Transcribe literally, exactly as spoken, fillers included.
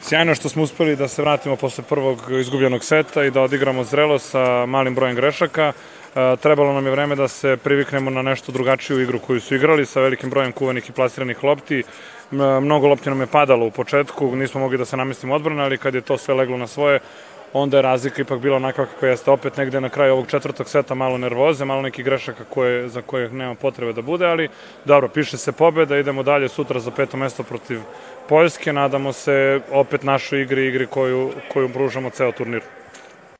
Sjajno što smo uspeli da se vratimo posle prvog izgubljenog seta i da odigramo zrelo sa malim brojem grešaka. Trebalo nam je vreme da se priviknemo na nešto drugačiju igru koju su igrali sa velikim brojem kuvanih i plasiranih lopti. Mnogo lopti nam je padalo u početku, nismo mogli da se namestimo odbrane, ali kad je to sve leglo na svoje, onda je razlika ipak bila onakva kako jeste. Opet negde na kraju ovog četvrtog seta malo nervoze, malo nekih grešaka koje, za koje nema potrebe da bude, ali dobro, piše se pobeda, idemo dalje sutra za peto mesto protiv Poljske, nadamo se opet našoj igri, igri koju, koju pružamo ceo turnir.